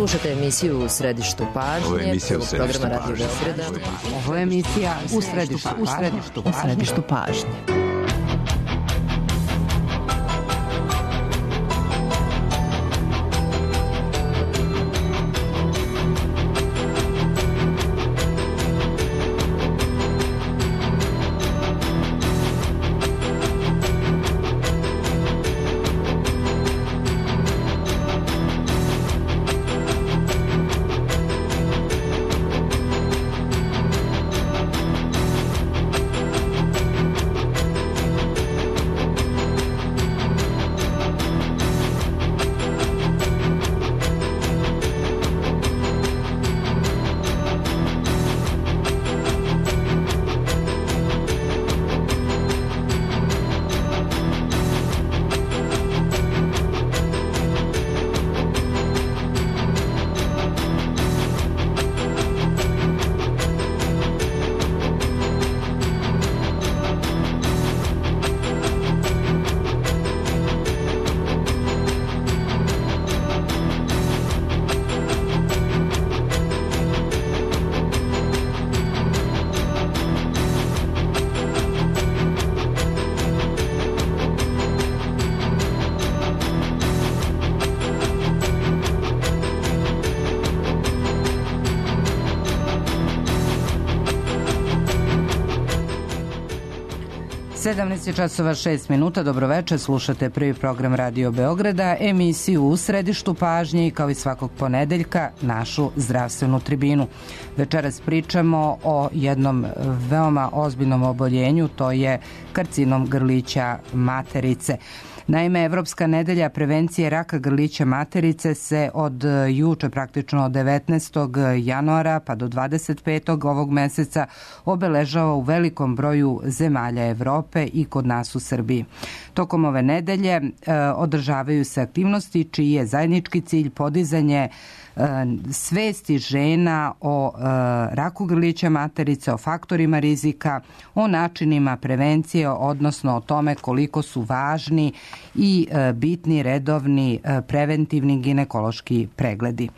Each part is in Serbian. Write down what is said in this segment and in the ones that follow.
Slušate emisiju U središtu pažnje, programa Radio Beograda. Ovo je emisija U središtu pažnje. časova 6 minuta, dobroveče, slušate prvi program Radio Beograda, emisiju U središtu pažnje i kao i svakog ponedeljka našu zdravstvenu tribinu. Večeras pričamo o jednom veoma ozbiljnom oboljenju, to je karcinom grlića materice. Naime, Evropska nedelja prevencije raka grlića materice se od juče, praktično od 19. januara pa do 25. ovog meseca obeležava u velikom broju zemalja Evrope i kod nas u Srbiji. Tokom ove nedelje održavaju se aktivnosti čiji je zajednički cilj podizanje svesti žena o raku grlića materice, o faktorima rizika, o načinima prevencije, odnosno o tome koliko su važni i bitni redovni preventivni ginekološki pregledi.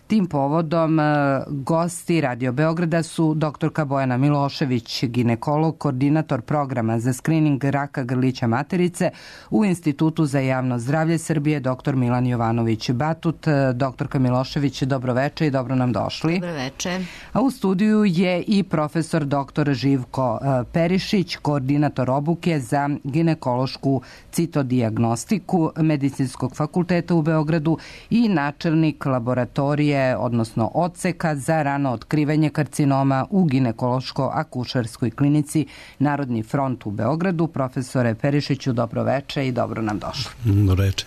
Tim povodom gosti Radio Beograda su doktorka Bojana Milošević, ginekolog, koordinator programa za skrining raka grlića materice u Institutu za javno zdravlje Srbije, dr. Milan Jovanović Batut. Doktorka Milošević, dobroveče i dobro nam došli. Dobroveče. A u studiju je i profesor dr. Živko Perišić, koordinator obuke za ginekološku citodijagnostiku Medicinskog fakulteta u Beogradu i načelnik laboratorije, odnosno odseka za rano otkrivanje karcinoma u ginekološko-akušerskoj klinici Narodni front u Beogradu. Profesore Perišiću, dobroveče i dobro nam došli. Dobroveče.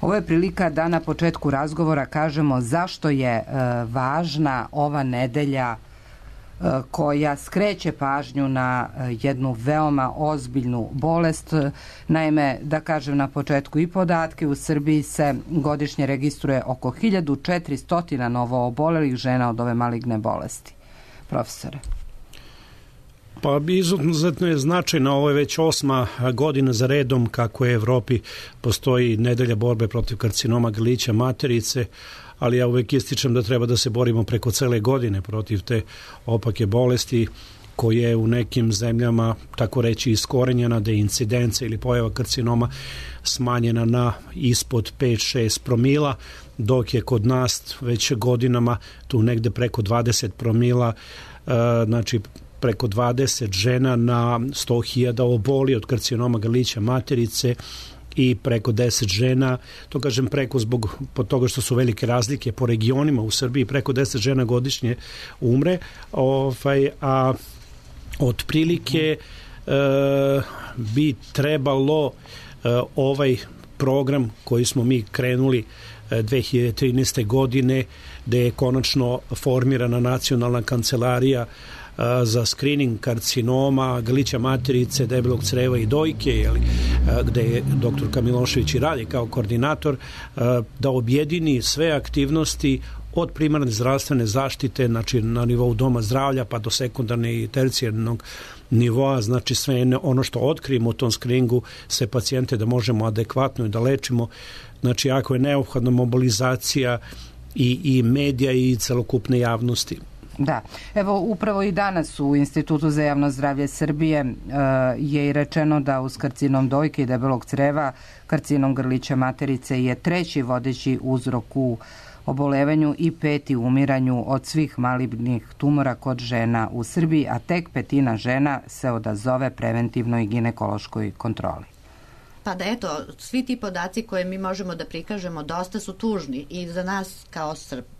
Ovo je prilika da na početku razgovora kažemo zašto je važna ova nedelja koja skreće pažnju na jednu veoma ozbiljnu bolest. Naime, da kažem na početku i podatke, u Srbiji se godišnje registruje oko 1400 novo obolelih žena od ove maligne bolesti. Profesore. Pa izuzetno je značajna, ovo je već 8. godina za redom kako je u Evropi postoji nedelja borbe protiv karcinoma grlića materice, ali ja uvek ističem da treba da se borimo preko cele godine protiv te opake bolesti koje je u nekim zemljama, tako reći, iskorenjena, da je incidenca ili pojava karcinoma smanjena na ispod 5-6 promila, dok je kod nas već godinama tu negde preko 20 promila, znači preko 20 žena na 100.000 oboli od karcinoma grlića materice i preko 10 žena, to kažem preko zbog toga što su velike razlike po regionima u Srbiji, preko 10 žena godišnje umre, a otprilike bi trebalo ovaj program koji smo mi krenuli 2013. godine, gde je konačno formirana nacionalna kancelarija za skrining karcinoma grlića materice, debelog creva i dojke, gde je doktorka Milošević i radi kao koordinator, da objedini sve aktivnosti od primarne zdravstvene zaštite, znači na nivou doma zdravlja pa do sekundarne i tercijarnog nivoa, znači sve ono što otkrijemo u tom skriningu, sve pacijente da možemo adekvatno da lečimo. Znači ako je neophodna mobilizacija i medija i celokupne javnosti. Da, evo upravo i danas u Institutu za javno zdravlje Srbije je i rečeno da uz karcinom dojke i debelog creva, karcinom grlića materice je 3. vodeći uzrok u obolevanju i 5. umiranju od svih malignih tumora kod žena u Srbiji, a tek 1/5 žena se odazove preventivnoj ginekološkoj kontroli. Pa da eto, svi ti podaci koje mi možemo da prikažemo dosta su tužni i za nas kao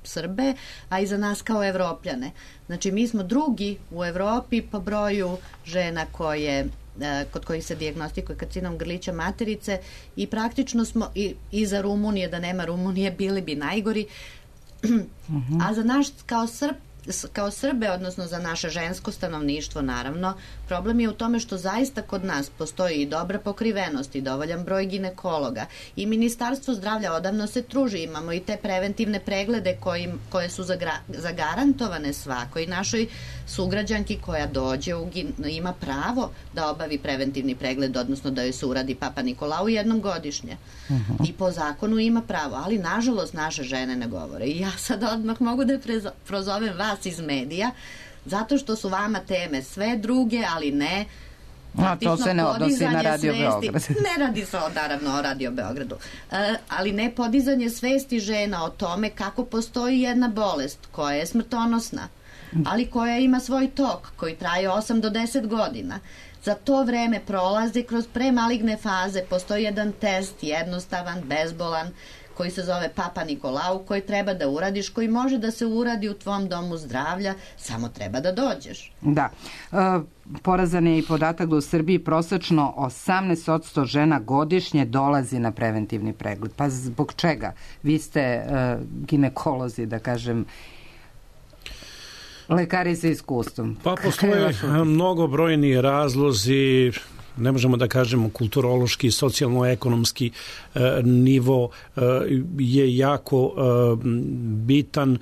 Srbe, a i za nas kao Evropljane. Znači mi smo drugi u Evropi po broju žena kod kojih se dijagnostikuje karcinom grlića materice i praktično smo i za Rumunije, da nema Rumunije, bili bi najgori. A za naš kao Srbe, odnosno za naše žensko stanovništvo, naravno, problem je u tome što zaista kod nas postoji i dobra pokrivenost i dovoljan broj ginekologa i Ministarstvo zdravlja odavno se truži, imamo i te preventivne preglede koje su zagarantovane svakoj našoj sugrađanki koja dođe ima pravo da obavi preventivni pregled, odnosno da joj se uradi Papa Nikolau jednom godišnje. I po zakonu ima pravo, ali nažalost naše žene ne govore. I ja sad odmah mogu da prozovem vas iz medija, zato što su vama teme sve druge, ali ne. A to se ne odnosi na Radio Beograd. Ne radi se naravno o Radio Beogradu. Ali ne podizanje svesti žena o tome kako postoji jedna bolest koja je smrtonosna, ali koja ima svoj tok koji traje 8 do 10 godina. Za to vreme prolazi kroz premaligne faze, postoji jedan test, jednostavan, bezbolan, koji se zove Papa Nikolau, koji treba da uradiš, koji može da se uradi u tvom domu zdravlja, samo treba da dođeš. Da. Porazan je i podatak da u Srbiji prosečno 18% žena godišnje dolazi na preventivni pregled. Pa zbog čega? Vi ste ginekolozi, da kažem, lekari sa iskustvom. Pa postoje mnogobrojni razlozi, ne možemo da kažemo kulturološki, socijalno-ekonomski nivo je jako bitan.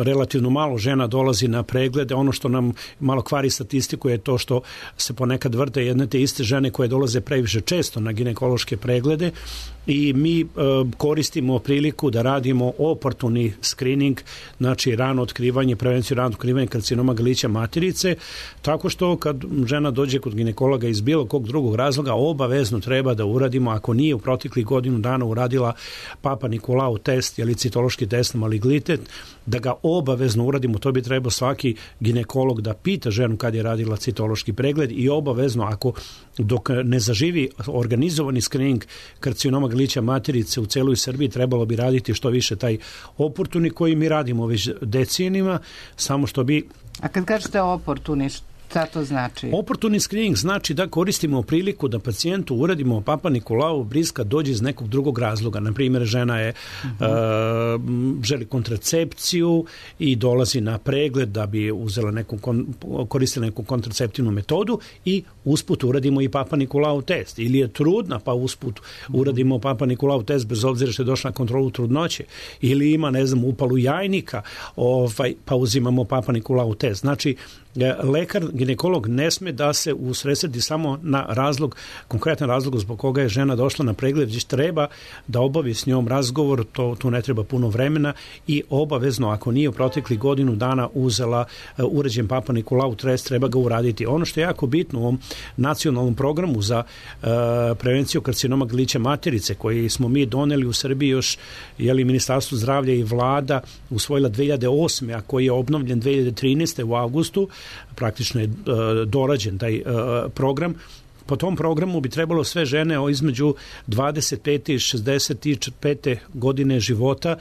Relativno malo žena dolazi na preglede. Ono što nam malo kvari statistiku je to što se ponekad vrte jedne te iste žene koje dolaze previše često na ginekološke preglede i mi koristimo priliku da radimo oportuni screening, znači rano otkrivanje, prevenciju rano otkrivanje karcinoma grlića materice, tako što kad žena dođe kod ginekologa iz bilo kog drugog razloga, obavezno treba da uradimo, ako nije u proteklih godinu dana uradila Papa Nikolau test ili citološki test na malignilitet, da ga obavezno uradimo. To bi trebao svaki ginekolog da pita ženu kad je radila citološki pregled i obavezno, ako dok ne zaživi organizovani screening karcinoma grlića materice u celoj Srbiji, trebalo bi raditi što više taj oportuni koji mi radimo već decenijima, samo što bi... A kad kažete oportuni, šta to znači? Oportuni screening znači da koristimo priliku da pacijentu uradimo Papa Nikolau briska dođe iz nekog drugog razloga. Na primjer, žena je želi kontracepciju i dolazi na pregled da bi uzela koristila neku kontraceptivnu metodu i usput uradimo i Papa Nikolau test. Ili je trudna pa usput uradimo Papa Nikolau test bez obzira što je došla na kontrolu trudnoće. Ili ima, upalu jajnika, pa uzimamo Papa Nikolau test. Znači, lekar, ginekolog ne sme da se usredsredi samo na razlog, konkretan razlog zbog koga je žena došla na pregled, već treba da obavi s njom razgovor, tu ne treba puno vremena i obavezno, ako nije u proteklih godinu dana uzela uređen Papa Nikolau test, treba ga uraditi. Ono što je jako bitno u ovom nacionalnom programu za prevenciju karcinoma grlića materice, koji smo mi doneli u Srbiji još, Ministarstvo zdravlja i vlada usvojila 2008. a koji je obnovljen 2013. u avgustu, praktično je dorađen taj program. Po tom programu bi trebalo sve žene između 25. i 65. godine života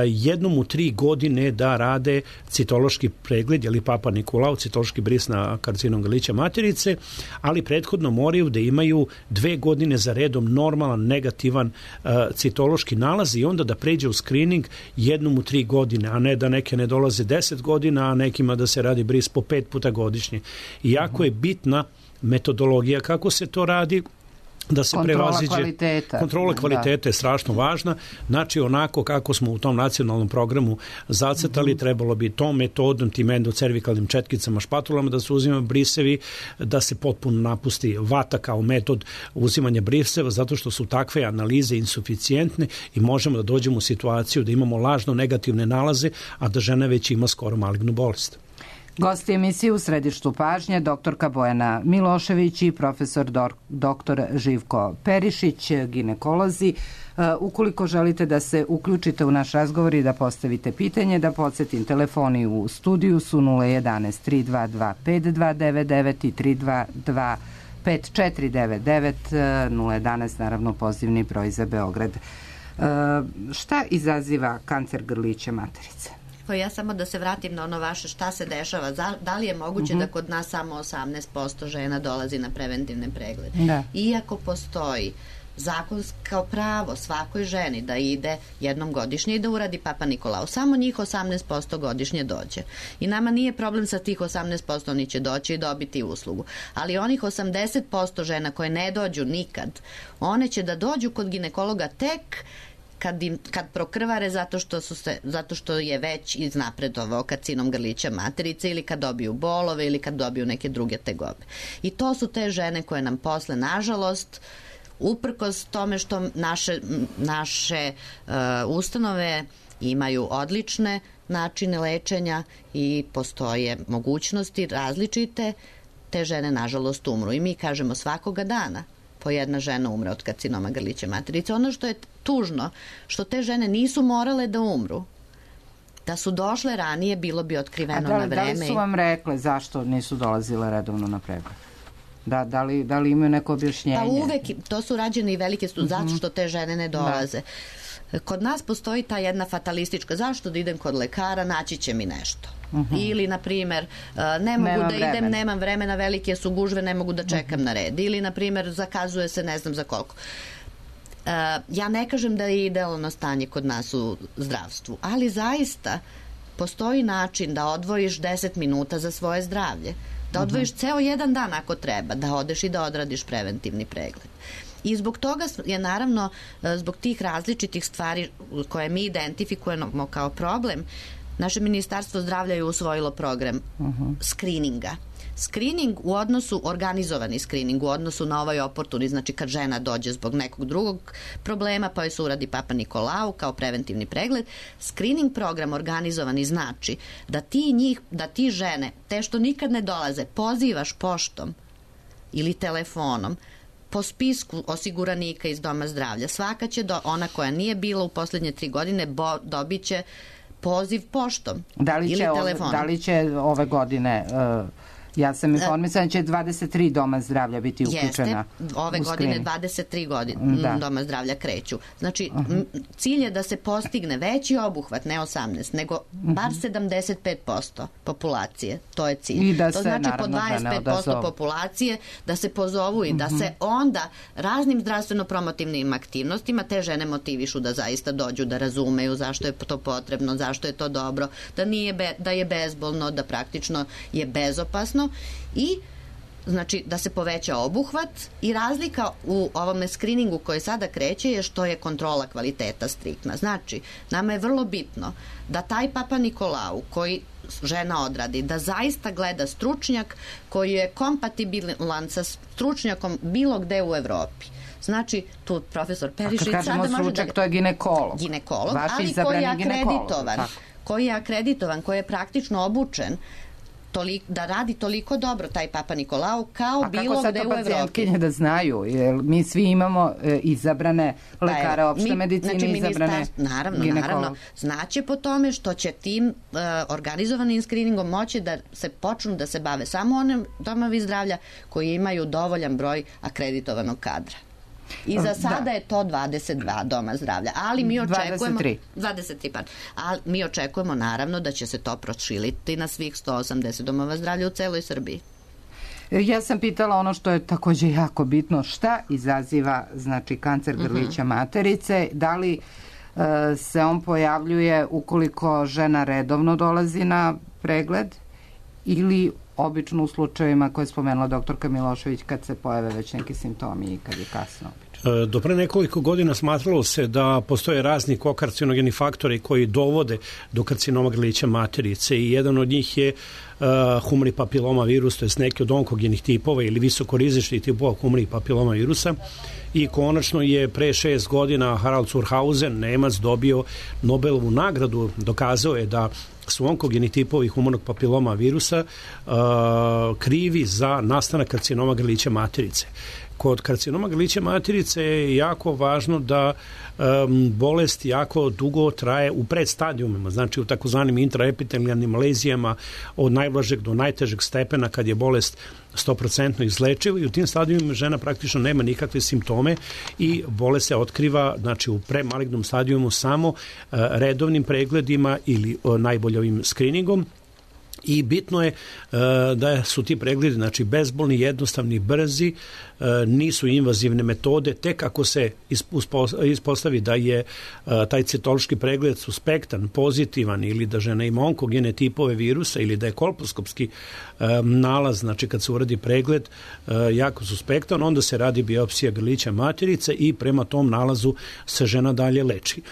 jednom u 3 godine da rade citološki pregled ili Papa Nikolau, citološki bris na karcinom grlića materice, ali prethodno moraju da imaju 2 godine za redom normalan, negativan citološki nalaz i onda da pređe u screening jednom u 3 godine, a ne da neke ne dolaze 10 godina, a nekima da se radi bris po 5 puta godišnje. I jako je bitna metodologija kako se to radi. da se prevaziđe. Kontrola kvaliteta je strašno važna. Znači, onako kako smo u tom nacionalnom programu zacrtali, trebalo bi tom metodom, tim endocervikalnim četkicama, špatulama da se uzimaju brisevi, da se potpuno napusti vata kao metod uzimanja briseva, zato što su takve analize insuficijentne i možemo da dođemo u situaciju da imamo lažno negativne nalaze, a da žena već ima skoro malignu bolest. Gosti emisije u središtu pažnje doktorka Bojana Milošević i profesor doktor Živko Perišić, ginekolozi. Ukoliko želite da se uključite u naš razgovor i da postavite pitanje, da podsjetim, telefoni u studiju su 011 322 5299 i 322 5499, 011 naravno pozivni broj za Beograd. Šta izaziva kancer grlića materice? Ja samo da se vratim na ono vaše šta se dešava. Da li je moguće da kod nas samo 18% žena dolazi na preventivne preglede? Da. Iako postoji zakonsko pravo svakoj ženi da ide jednom godišnje i da uradi Papa Nikolau. Samo njih 18% godišnje dođe. I nama nije problem sa tih 18%, oni će doći i dobiti uslugu. Ali onih 80% žena koje ne dođu nikad, one će da dođu kod ginekologa tek kad prokrvare zato što je već iznapredovao karcinom grlića materice ili kad dobiju bolove ili kad dobiju neke druge tegobe. I to su te žene koje nam posle, nažalost, uprkos tome što naše ustanove imaju odlične načine lečenja i postoje mogućnosti različite, te žene nažalost umru. I mi kažemo svakoga dana po jedna žena umre od karcinoma grlića materice. Ono što je tužno, što te žene nisu morale da umru. Da su došle ranije, bilo bi otkriveno na vreme. Da li su vam rekle zašto nisu dolazile redovno na pregled? Da li imaju neko objašnjenje? Pa uvek, to su rađene i velike studije, zato što te žene ne dolaze. Kod nas postoji ta jedna fatalistička, zašto da idem kod lekara, naći će mi nešto. Ili, na primjer, ne mogu da idem, nemam vremena, velike su gužve, ne mogu da čekam na red. Ili, na primjer, zakazuje se ne znam za koliko. Ja ne kažem da je idealno stanje kod nas u zdravstvu, ali zaista postoji način da odvojiš 10 minuta za svoje zdravlje. Da odvojiš ceo jedan dan ako treba, da odeš i da odradiš preventivni pregled. I zbog toga je naravno, zbog tih različitih stvari koje mi identifikujemo kao problem, naše Ministarstvo zdravlja je usvojilo program skrininga. Skrining u odnosu, organizovani skrining u odnosu na ovaj oportuni, znači kad žena dođe zbog nekog drugog problema pa joj se uradi Papa Nikolau kao preventivni pregled, skrining program organizovani znači da ti žene, te što nikad ne dolaze, pozivaš poštom ili telefonom po spisku osiguranika iz Doma zdravlja. Svaka će, ona koja nije bila u poslednje 3 godine, dobit će poziv poštom ili telefonom. Da li će ove godine... Ja sam informisana da će 23 doma zdravlja biti uključena. Jeste, ove godine 23 doma zdravlja kreću. Znači, cilj je da se postigne veći obuhvat, ne 18, nego bar 75% populacije. To je cilj. To znači po 25% populacije da se pozovu i da se onda raznim zdravstveno-promotivnim aktivnostima te žene motivišu da zaista dođu, da razumeju zašto je to potrebno, zašto je to dobro, da je bezbolno, da praktično je bezopasno. I znači da se poveća obuhvat i razlika u ovome skriningu koji sada kreće je što je kontrola kvaliteta striktna. Znači, nama je vrlo bitno da taj Papa Nikolau koji žena odradi, da zaista gleda stručnjak koji je kompatibilan sa stručnjakom bilo gde u Evropi. Znači, tu profesor Perišić... A kad kažemo stručnjak, to je ginekolog. Ginekolog, ali koji je akreditovan, koji je praktično obučen da radi toliko dobro taj Papa Nikolau kao bilo gde u Evropi. A kako sad to pacijentkinje da znaju? Jer mi svi imamo izabrane lekare opšte medicine, izabrane Naravno. Znaće po tome što će tim organizovanim skriningom moći da se počnu da se bave samo onim domovi zdravlja koji imaju dovoljan broj akreditovanog kadra. I za sada je to 22 doma zdravlja, ali mi očekujemo 23, ali mi očekujemo naravno da će se to proširiti na svih 180 domova zdravlja u celoj Srbiji. Ja sam pitala ono što je takođe jako bitno, šta izaziva znači kancer grlića materice, da li se on pojavljuje ukoliko žena redovno dolazi na pregled ili obično u slučajevima koje je spomenula doktorka Milošević kad se pojave već neki simptomi i kad je kasno obično? Do pre nekoliko godina smatralo se da postoje razni kokarcinogeni faktori koji dovode do karcinoma grlića materice i jedan od njih je humani papiloma virus, to je neki od onkogenih tipova ili visokorizičnih tipova humani papiloma virusa. I konačno je pre 6 godina Harald Zurhausen, Nemac, dobio Nobelovu nagradu, dokazao je da su onkogeni tipovi humanog papiloma virusa krivi za nastanak karcinoma grlića materice. Kod karcinoma grlića materice je jako važno da bolest jako dugo traje u predstadijumima, znači u takozvanim intraepitelijalnim lezijama od najblažeg do najtežeg stepena kad je bolest 100% izlečiva i u tim stadijumima žena praktično nema nikakve simptome i bolest se otkriva znači u premalignom stadijumu samo redovnim pregledima ili najbolje ovim skriningom. I bitno je da su ti pregledi znači bezbolni, jednostavni, brzi, nisu invazivne metode, tek ako se ispostavi da je taj citološki pregled suspektan, pozitivan ili da žena ima onkogene tipove virusa ili da je kolposkopski nalaz, znači kad se uradi pregled jako suspektan, onda se radi biopsija grlića materice i prema tom nalazu se žena dalje leči.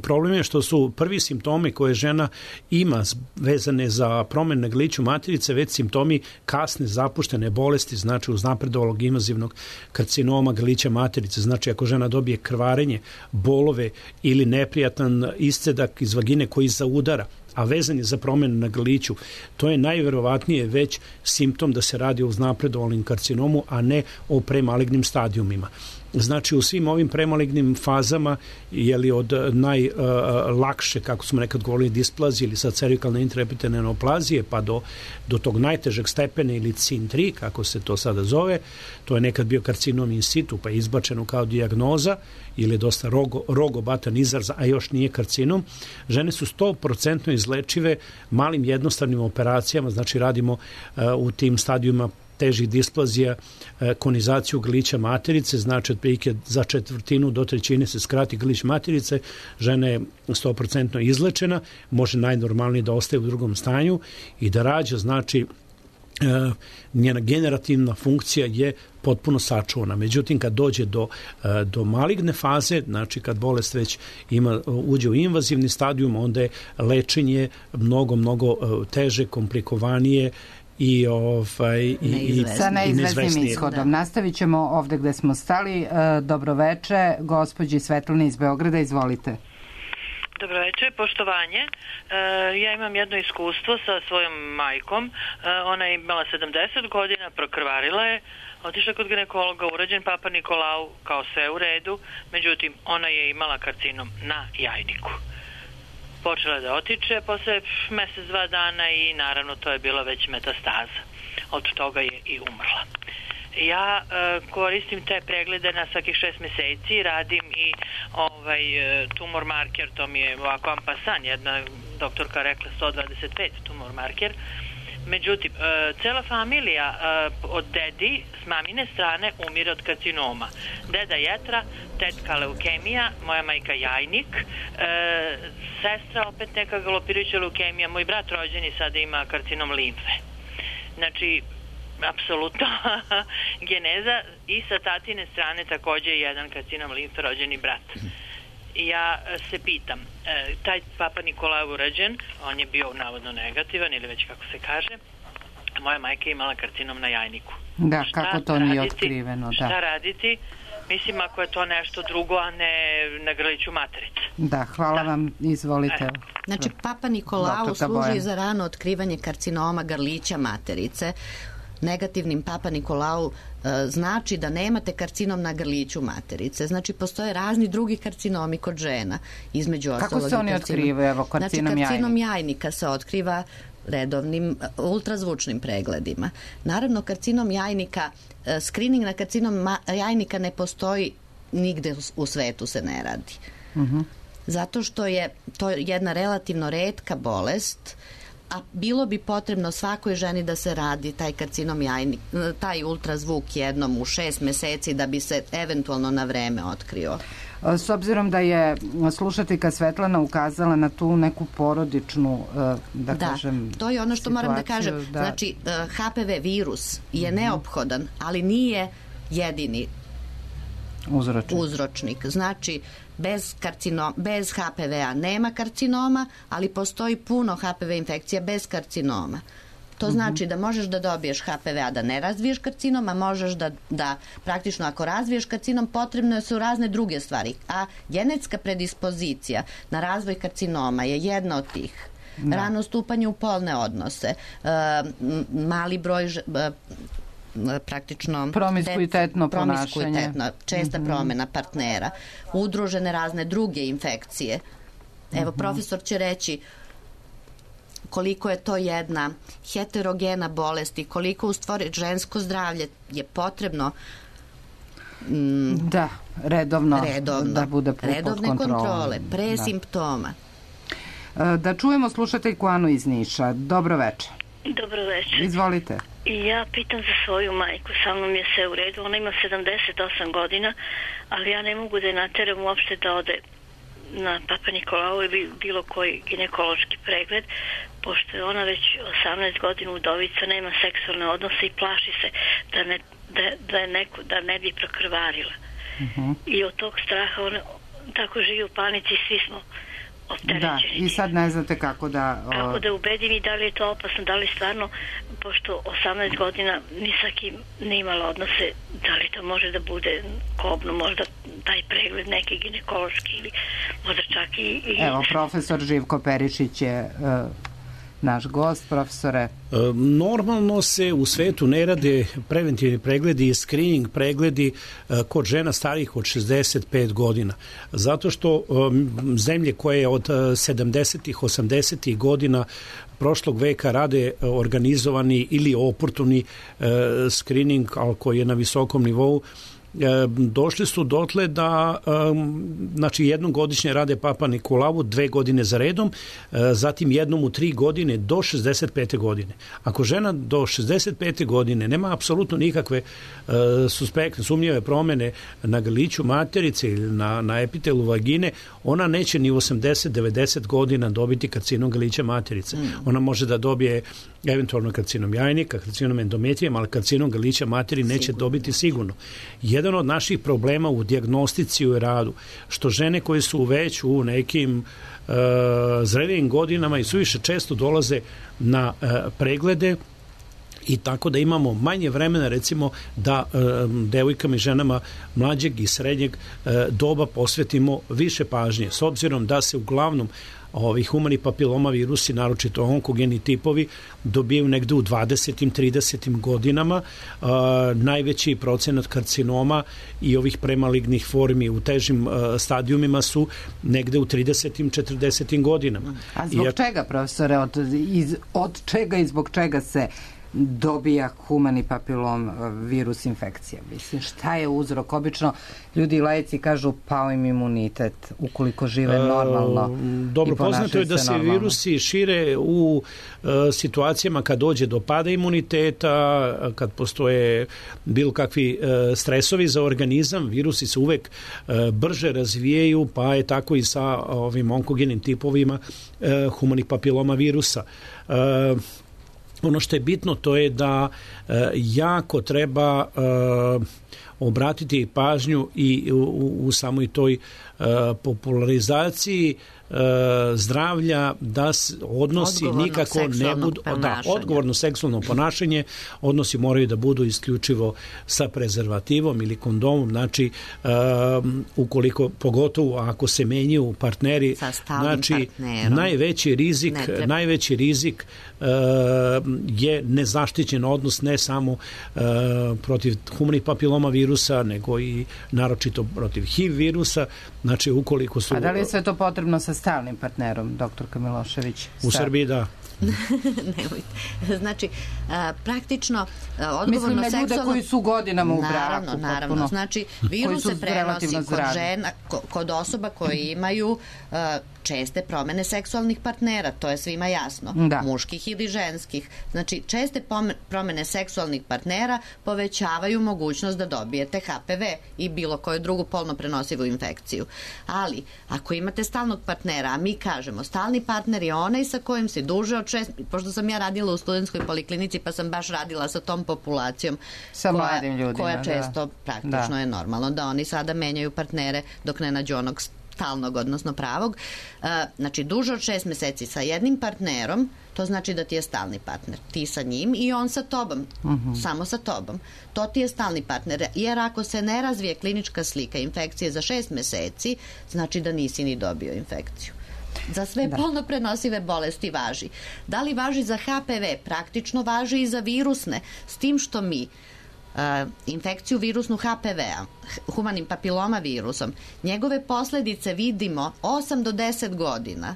Problem je što su prvi simptomi koje žena ima vezane za promene na grliću materice već simptomi kasne zapuštene bolesti, znači uznapredovalog invazivnog karcinoma grlića materice, znači ako žena dobije krvarenje, bolove ili neprijatan iscedak iz vagine koji zaudara, a vezan je za promjenu na grliću, to je najverovatnije već simptom da se radi o uznapredovalnom karcinomu, a ne o premalignim stadijumima. Znači u svim ovim premalignim fazama je od najlakše, kako smo nekad govorili, displazije ili sad cervikalne intraepitelne neoplazije pa do tog najtežeg stepena ili CIN3, kako se to sada zove, to je nekad bio karcinom in situ pa je izbačeno kao dijagnoza ili dosta rogobatan izraz, a još nije karcinom. Žene su 100% izlečive malim jednostavnim operacijama, znači radimo u tim stadijuma težih displazija konizaciju grlića materice, znači otprilike za 1/4 do 1/3 se skrati grlić materice, žena je 100% izlečena, može najnormalnije da ostaje u drugom stanju i da rađa, znači njena generativna funkcija je potpuno sačuvana. Međutim, kad dođe do maligne faze, znači kad bolest već uđe u invazivni stadijum, onda je lečenje mnogo teže, komplikovanije i sa neizvesnim ishodom. Nastavit ćemo ovde gde smo stali. Dobroveče, gospođi Svetlani iz Beograda, izvolite. Dobroveče, poštovanje. Ja imam jedno iskustvo sa svojom majkom. Ona je imala 70 godina, prokrvarila je, otišla kod ginekologa, urađen Papa Nikolau, kao sve u redu, međutim, ona je imala karcinom na jajniku. Počela da otiče posle mesec, 2 dana i naravno to je bila već metastaza. Od toga je i umrla. Ja koristim te preglede na svakih 6 meseci, radim i tumor marker, to mi je ovako ampasan, jedna doktorka rekla 125 tumor marker. Međutim, cela familija od dedi s mamine strane umire od karcinoma. Deda jetra, tetka leukemija, moja majka jajnik, sestra opet neka galopirajuća leukemija, moj brat rođeni sada ima karcinom limfe. Znači, apsolutno geneza i sa tatine strane takođe je jedan karcinom limfe rođeni brat. Ja se pitam, taj Papa Nikolaj urađen, on je bio navodno negativan ili već kako se kaže, moja majka je imala karcinom na jajniku. Da, kako to nije otkriveno. Šta raditi? Mislim, ako je to nešto drugo, a ne na grliću materice. Da, hvala vam, izvolite. Znači, Papa Nikolau služi za rano otkrivanje karcinoma grlića materice. Negativnim Papa Nikolau znači da nemate karcinom na grliću materice. Znači, postoje razni drugi karcinomi kod žena. Između kako se oni otkrivaju? Evo, karcinom jajnika se otkriva redovnim ultrazvučnim pregledima. Naravno, karcinom jajnika, screening na karcinom jajnika ne postoji nigde u svetu, se ne radi. Zato što je to jedna relativno retka bolest a bilo bi potrebno svakoj ženi da se radi taj karcinom jajnik, taj ultrazvuk jednom u 6 meseci da bi se eventualno na vreme otkrio. S obzirom da je slušateljka Svetlana ukazala na tu neku porodičnu, da kažem, to je ono što moram da kažem. Znači, HPV virus je neophodan, ali nije jedini uzročnik. Znači, bez HPV-a nema karcinoma, ali postoji puno HPV infekcija bez karcinoma. To znači da možeš da dobiješ HPV-a da ne razviješ karcinom, a možeš da praktično ako razviješ karcinom potrebno su razne druge stvari. A genetska predispozicija na razvoj karcinoma je jedna od tih. Rano stupanje u polne odnose, mali broj praktično promiskuitetno ponašanje, česta promena partnera, udružene razne druge infekcije. Evo, profesor će reći koliko je to jedna heterogena bolest i koliko u stvari žensko zdravlje je potrebno redovno da bude redovne kontrole, pre simptoma. Da čujemo slušateljku Anu iz Niša. Dobro večer. Dobro večer. Izvolite. Ja pitam za svoju majku, sa mnom je sve u redu, ona ima 78 godina, ali ja ne mogu da je nateram uopšte da ode na Papa Nikolau ili bilo koji ginekološki pregled, pošto je ona već 18 godina udovica, nema seksualne odnose i plaši se da ne bi prokrvarila. I od tog straha ona tako živi u panici i svi smo opterećeni. I sad ne znate kako da ubedim i da li je to opasno, da li stvarno, pošto 18 godina ni sa kim ne imala odnose, da li to može da bude kobno, možda taj pregled neki ginekološki ili možda čak i... Evo, profesor Živko Perišić je naš gost. Profesore. Normalno se u svetu ne rade preventivni pregledi i screening pregledi kod žena starijih od 65 godina. Zato što zemlje koje od 70-ih, 80-ih godina prošlog veka rade organizovani ili oportuni screening, ali koji je na visokom nivou, došli su dotle da znači jednom godišnje rade Papa Nikolavu 2 godine za redom, zatim jednom u 3 godine do 65. godine. Ako žena do 65. godine nema apsolutno nikakve suspektne, sumnjive promene na grliću materice ili na epitelu vagine, ona neće ni u 80-90 godina dobiti karcinom grlića materice. Ona može da dobije eventualno karcinom jajnika, karcinom endometrijem, ali karcinom grlića materi neće dobiti sigurno. Jedan od naših problema u dijagnostici u radu, što žene koje su već u nekim zrelijim godinama i suviše često dolaze na preglede, i tako da imamo manje vremena recimo da devojkama i ženama mlađeg i srednjeg doba posvetimo više pažnje, s obzirom da se uglavnom humani papiloma virusi, naročito onkogeni tipovi, dobijaju negde u 20. 30. godinama. Najveći procenat karcinoma i ovih premalignih formi u težim stadijumima su negde u 30. 40. godinama. A zbog čega, profesore, od čega i zbog čega se dobija humani papilom virus infekcija? Mislim, šta je uzrok? Obično ljudi i laici kažu pao im imunitet ukoliko žive normalno. Dobro, poznato je da se virusi šire u situacijama kad dođe do pada imuniteta, kad postoje bilo kakvi stresovi za organizam, virusi se uvek brže razvijaju, pa je tako i sa ovim onkogenim tipovima humanih papiloma virusa. Ono što je bitno to je da jako treba obratiti pažnju i u samoj toj popularizaciji zdravlja, da odnosi nikako ne budu odgovorno seksualno ponašanje, odnosi moraju da budu isključivo sa prezervativom ili kondomom, znači ukoliko, pogotovo ako se menjaju partneri, znači najveći rizik je nezaštićen odnos, ne samo protiv humanih papiloma virusa, nego i naročito protiv HIV virusa. Znači ukoliko su... A da li je sve to potrebno sa stalnim partnerom, doktorka Milošević? U Srbiji da. Nemojte. Znači, praktično odgovorno seksualno... Mislim na ljude koji su godinama u braku. Naravno. Znači, virus se prenosi kod žena, kod osoba koje imaju česte promene seksualnih partnera, to je svima jasno, muških ili ženskih. Znači, česte promene seksualnih partnera povećavaju mogućnost da dobijete HPV i bilo koju drugu polno prenosivu infekciju. Ali, ako imate stalnog partnera, a mi kažemo, stalni partner je onaj sa kojim se duže od 6, pošto sam ja radila u studentskoj poliklinici, pa sam baš radila sa tom populacijom koja često praktično je normalno da oni sada menjaju partnere dok ne nađu onog stalnog, odnosno pravog. Znači, duže od 6 meseci sa jednim partnerom, to znači da ti je stalni partner. Ti sa njim i on sa tobom. Samo sa tobom. To ti je stalni partner. Jer ako se ne razvije klinička slika infekcije za 6 meseci, znači da nisi ni dobio infekciju. Za sve polno prenosive bolesti važi. Da li važi za HPV? Praktično važi i za virusne. S tim što mi infekciju virusnu HPV-a, humanim papiloma virusom, njegove posledice vidimo 8 do 10 godina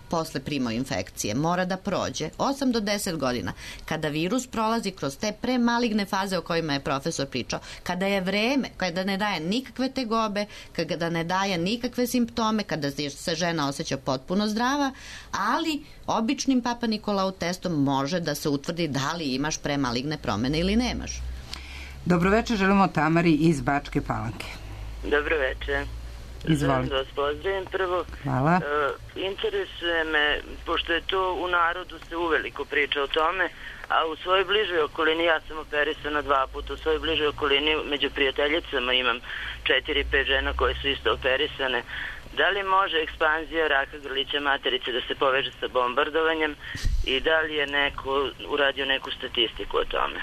posle primo infekcije. Mora da prođe 8 do 10 godina. Kada virus prolazi kroz te premaligne faze o kojima je profesor pričao, kada je vreme, kada ne daje nikakve tegobe, kada ne daje nikakve simptome, kada se žena osjeća potpuno zdrava, ali običnim Papa Nikolau testom može da se utvrdi da li imaš premaligne promene ili nemaš. Dobroveče, želimo Tamari iz Bačke Palanke. Dobroveče. Izvolite. Da vas pozdravim prvo. Hvala. Interesuje me, pošto je to u narodu se uveliko priča o tome, a u svojoj bližoj okolini, ja sam operisana 2 puta, u svojoj bližoj okolini među prijateljicama imam 4-5 žena koje su isto operisane. Da li može ekspanzija raka grlića materice da se poveže sa bombardovanjem i da li je neko uradio neku statistiku o tome?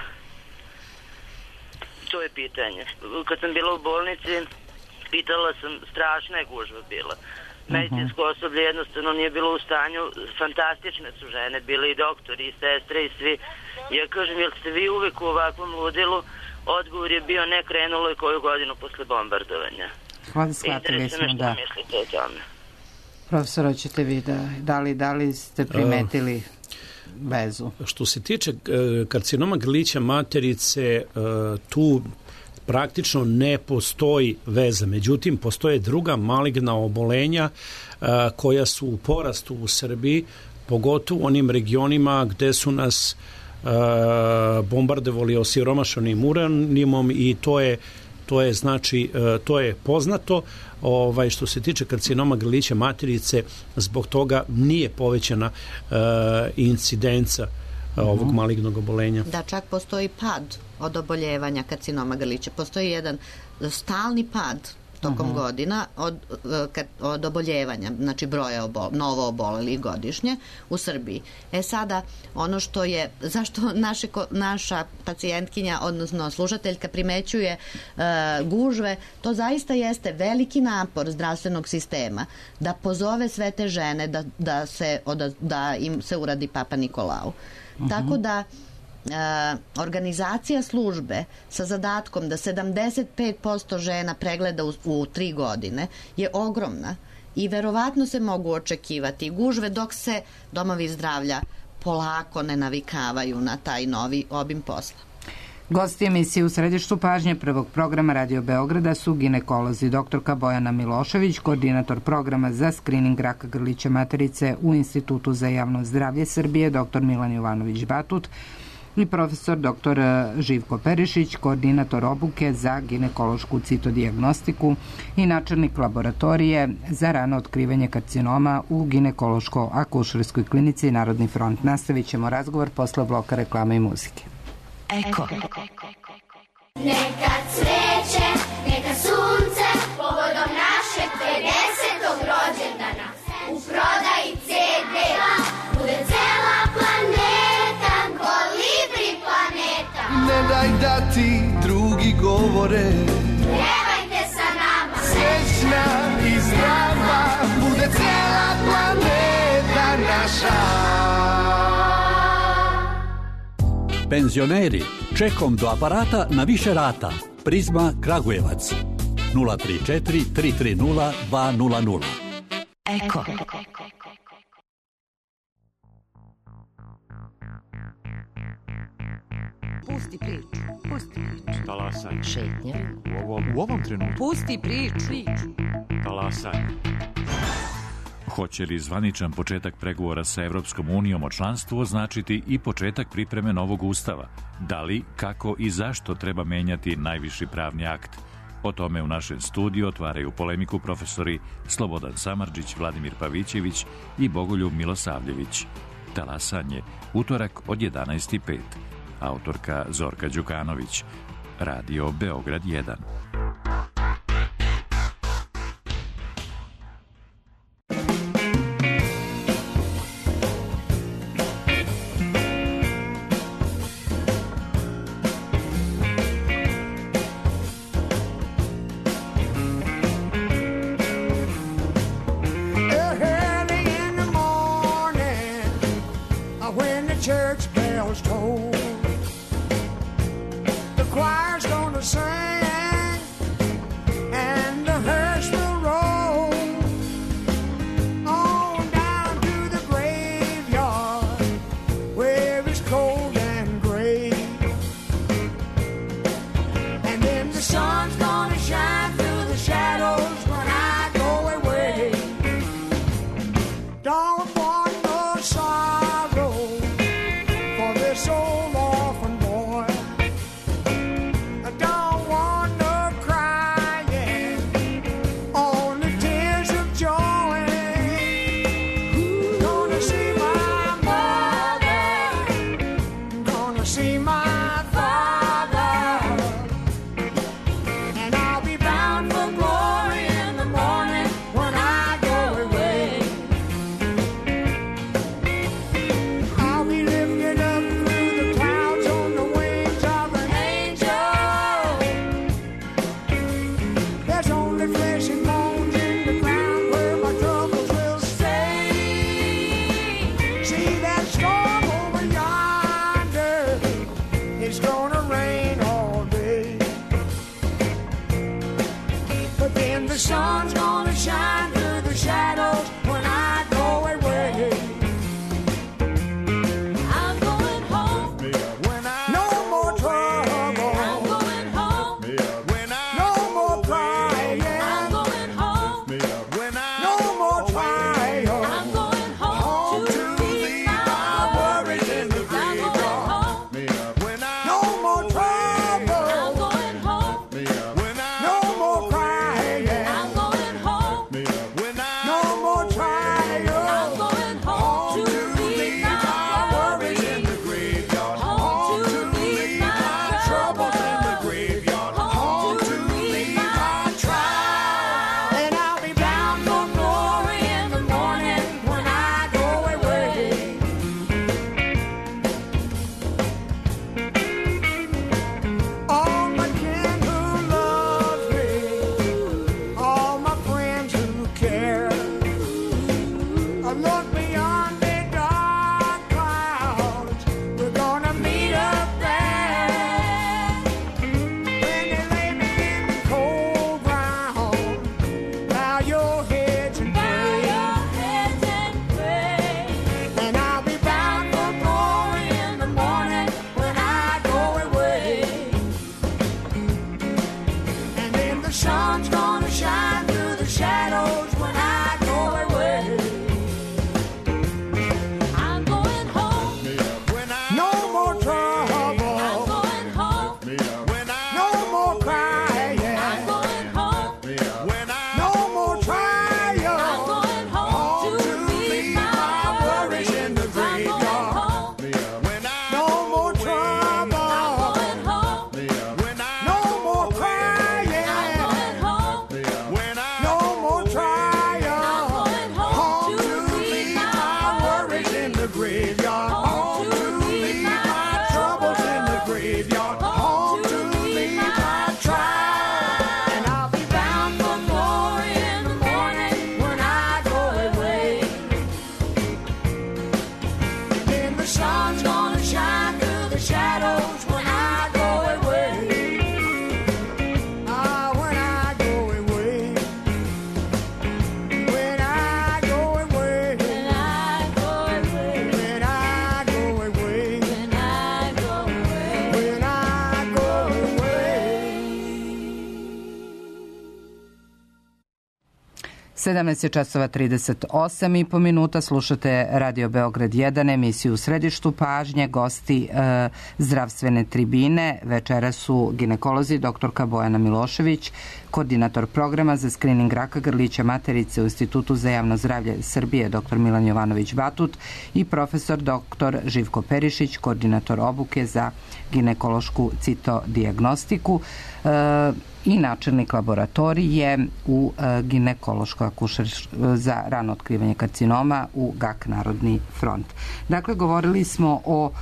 To je pitanje. Kad sam bila u bolnici, pitala sam, strašna je gužva bila. Medicinsko osoblje jednostavno nije bilo u stanju, fantastične su žene, bile i doktori, i sestre, i svi. Ja kažem, jel ste vi uvek u ovakvom ludilu? Odgovor je bio ne, krenulo je koju godinu posle bombardovanja. Hvala, shvatili smo, da. Mislite o tome? Profesor, hoćete vi da li ste primetili vezu? Što se tiče karcinoma grlića materice, tu praktično ne postoji veza. Međutim, postoje druga maligna obolenja koja su u porastu u Srbiji, pogotovo u onim regionima gde su nas bombardovali osiromašenim uranijumom i to je poznato. Što se tiče karcinoma grlića materice, zbog toga nije povećana incidenca ovog malignog obolenja. Da, čak postoji pad od oboljevanja karcinoma grlića. Postoji jedan stalni pad tokom godina od oboljevanja, znači broja novo obolelih godišnje u Srbiji. Sada, ono što je, zašto naša pacijentkinja, odnosno slušateljka primećuje gužve, to zaista jeste veliki napor zdravstvenog sistema da pozove sve te žene da im se uradi Papa Nikolau. Tako da organizacija službe sa zadatkom da 75% žena pregleda u 3 godine je ogromna i verovatno se mogu očekivati gužve dok se domovi zdravlja polako ne navikavaju na taj novi obim posla. Gosti emisije u središtu pažnje prvog programa Radio Beograda su ginekolozi doktorka Bojana Milošević, koordinator programa za skrining raka grlića materice u Institutu za javno zdravlje Srbije, dr. Milan Jovanović-Batut, i profesor dr. Živko Perišić, koordinator obuke za ginekološku citodijagnostiku i načelnik laboratorije za rano otkrivanje karcinoma u ginekološko-akušerskoj klinici Narodni front. Nastavit ćemo razgovor posle bloka reklame i muzike. Eko. Neka cveće, neka sunce, povodom našeg 50. rođendana, u prodaji CD-a, bude cela planeta, Kolibri planeta. Ne daj da ti drugi govore, pjevajte sa nama, srećna i zdrava, bude cela planeta naša. Penzioneri, čekom do aparata na više rata. Prizma Kragujevac 034 330 200. Eko. Pusti priču. Pusti priču. Talasanje. Šetnja. U ovom trenutku. Pusti priču. Talasanje. Hoće li zvaničan početak pregovora sa Evropskom unijom o članstvu označiti i početak pripreme novog ustava? Da li, kako i zašto treba menjati najviši pravni akt? O tome u našem studiju otvaraju polemiku profesori Slobodan Samardžić, Vladimir Pavićević i Bogoljub Milosavljević. Talasanje, utorak od 11:05. Autorka Zorka Đukanović. Radio Beograd 1. 17:38 minuta, slušate Radio Beograd 1, emisiju U središtu pažnje, gosti zdravstvene tribine. Večera su ginekolozi doktorka Bojana Milošević, koordinator programa za skrining raka grlića materice u Institutu za javno zdravlje Srbije dr. Milan Jovanović Batut i profesor dr. Živko Perišić, koordinator obuke za ginekološku citodijagnostiku i načelnik laboratorije u ginekološkoj za rano otkrivanje karcinoma u GAK Narodni front. Dakle, govorili smo o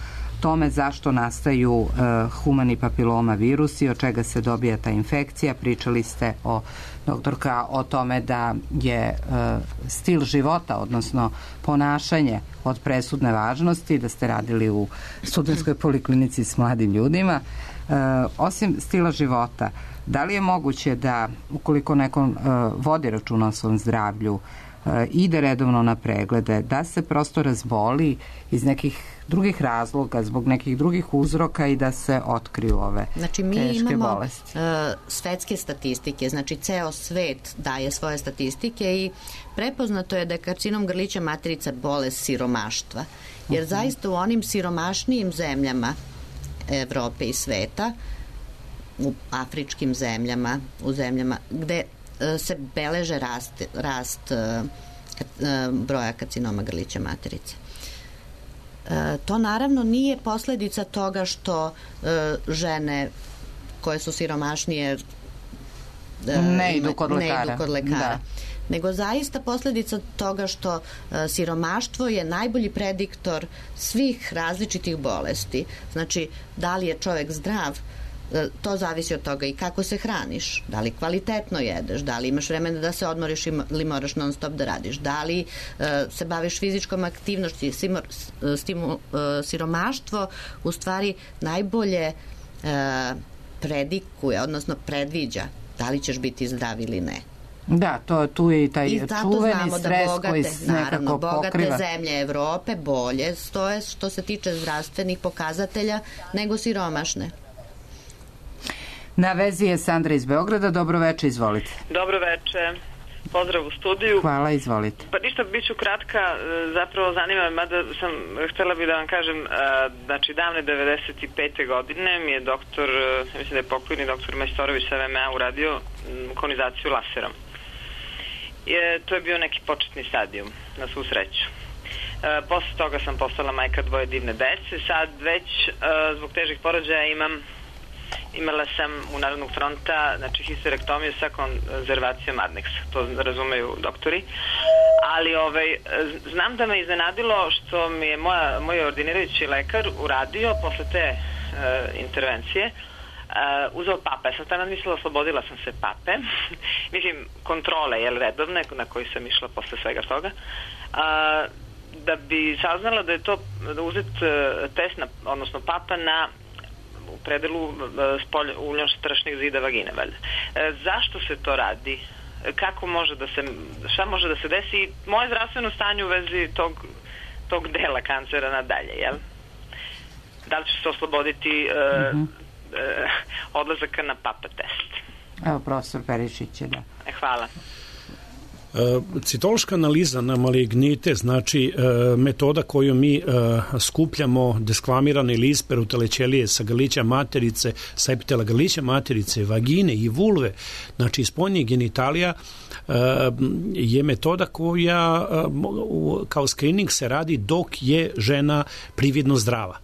tome zašto nastaju humani papiloma virusi, od čega se dobija ta infekcija. Pričali ste doktorka, o tome da je stil života, odnosno ponašanje od presudne važnosti, da ste radili u studentskoj poliklinici s mladim ljudima. Osim stila života, da li je moguće da, ukoliko neko vodi računa o svom zdravlju, ide redovno na preglede, da se prosto razboli iz nekih drugih razloga, zbog nekih drugih uzroka i da se otkriju ove teške bolesti? Znači, mi imamo svetske statistike, znači ceo svet daje svoje statistike i prepoznato je da je karcinom grlića materica bolest siromaštva. Jer zaista u onim siromašnijim zemljama Evrope i sveta, u afričkim zemljama, u zemljama gde se beleže rast broja karcinoma grlića materice. To naravno nije posledica toga što žene koje su siromašnije ne idu kod lekara. Da. Nego zaista posljedica toga što siromaštvo je najbolji prediktor svih različitih bolesti. Znači, da li je čovjek zdrav, to zavisi od toga i kako se hraniš, da li kvalitetno jedeš, da li imaš vremena da se odmoriš ili moraš non stop da radiš, da li se baviš fizičkom aktivnošću. Siromaštvo u stvari najbolje predikuje, odnosno predviđa da li ćeš biti zdrav ili ne. Da, tu je i taj čuveni stres koji nekako pokriva. Bogate zemlje Evrope bolje stoje što se tiče zdravstvenih pokazatelja nego siromašne. Na vezi je Sandra iz Beograda. Dobro veče, izvolite. Dobro veče. Pozdrav u studiju. Hvala, izvolite. Pa ništa, bit ću kratka, zapravo zanima me, mada sam htjela bi da vam kažem, znači davne 95. godine mi je doktor, mislim da je pokojni doktor Majstorović sa VMA uradio konizaciju laserom. To je bio neki početni stadijum, na svu sreću. Posle toga sam postala majka dvoje divne dece, sad već zbog težih porođaja imala sam u Narodnog fronta, znači histerektomiju sa konzervacijom adneksa, to razumeju doktori, ali znam da me iznenadilo što mi je moj ordinirajući lekar uradio posle te intervencije, uzeo pape. Ja sam tada mislila, oslobodila sam se pape, mislim kontrole, redovne, na koji sam išla posle svega toga, da bi saznala da je to uzet test, odnosno papa na u predelu uljno-strašnih zida vagine, valjda. Zašto se to radi? Kako može da se, šta može da se desi i moje zdravstveno stanje u vezi tog dela kancera nadalje, jel? Da li će se osloboditi odlazaka na papa test? Evo, profesor Perišić je, da. Hvala. Citološka analiza na malignite, znači metoda koju mi skupljamo deskvamirane ili isperutale ćelije sa grlića materice, sa epitela grlića materice, vagine i vulve, znači spoljnih genitalija, je metoda koja kao screening se radi dok je žena prividno zdrava.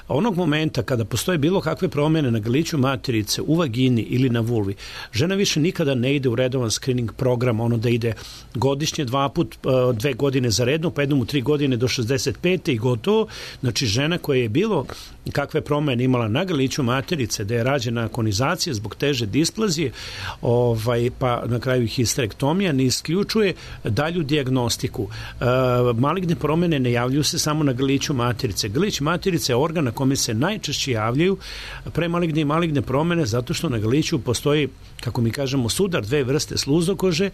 Onog momenta kada postoje bilo kakve promjene na grliću materice, u vagini ili na vulvi, žena više nikada ne ide u redovan screening program, ono da ide godišnje 2 put, 2 godine za redno, pa jednom u 3 godine do 65. i gotovo. Znači žena koja je bilo kakve promjene imala na grliću materice, da je rađena konizacija zbog teže displazije, pa na kraju histerektomija, ne isključuje dalju dijagnostiku. Maligne promjene ne javljaju se samo na grliću materice. Grlić materice je organ na kome se najčešće javljaju premaligne i maligne promjene, zato što na grliću postoji, kako mi kažemo, sudar, 2 vrste sluzokože,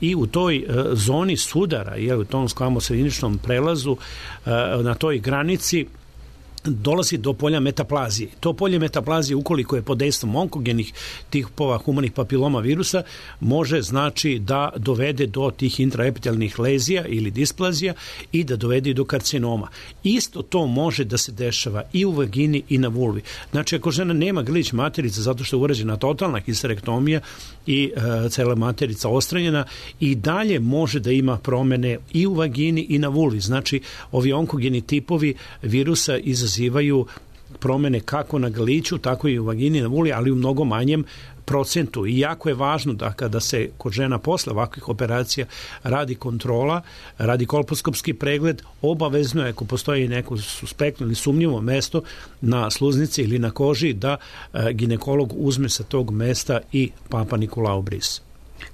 i u toj zoni sudara, u tom sklamosrediničnom prelazu, na toj granici dolazi do polja metaplazije. To polje metaplazije, ukoliko je pod dejstvom onkogenih tipova humanih papiloma virusa, može znači da dovede do tih intraepitelnih lezija ili displazija i da dovede do karcinoma. Isto to može da se dešava i u vagini i na vulvi. Znači, ako žena nema grlić materice zato što je urađena totalna histerektomija i cela materica ostranjena, i dalje može da ima promene i u vagini i na vulvi. Znači, ovi onkogeni tipovi virusa izazivaju promene kako na grliću, tako i u vagini i na vulvi, ali u mnogo manjem procentu. I jako je važno da kada se kod žena posle ovakvih operacija radi kontrola, radi kolposkopski pregled, obavezno je, ako postoji neko suspektno ili sumnjivo mesto na sluznici ili na koži, da ginekolog uzme sa tog mesta i Papa Nikolau bris.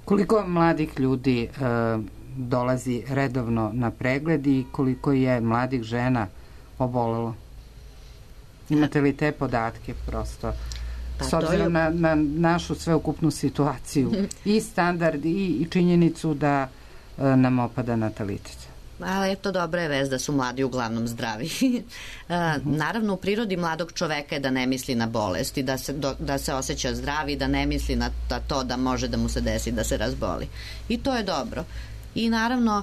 Koliko mladih ljudi dolazi redovno na pregled i koliko je mladih žena obolelo? Imate li te podatke prosto? S obzirom na našu sveukupnu situaciju i standard i činjenicu da nam opada natalitet. Ali eto, dobra je vest da su mladi uglavnom zdravi. Naravno, u prirodi mladog čoveka je da ne misli na bolest i da se osjeća zdravi, da ne misli na to da može da mu se desi da se razboli. I to je dobro. I naravno,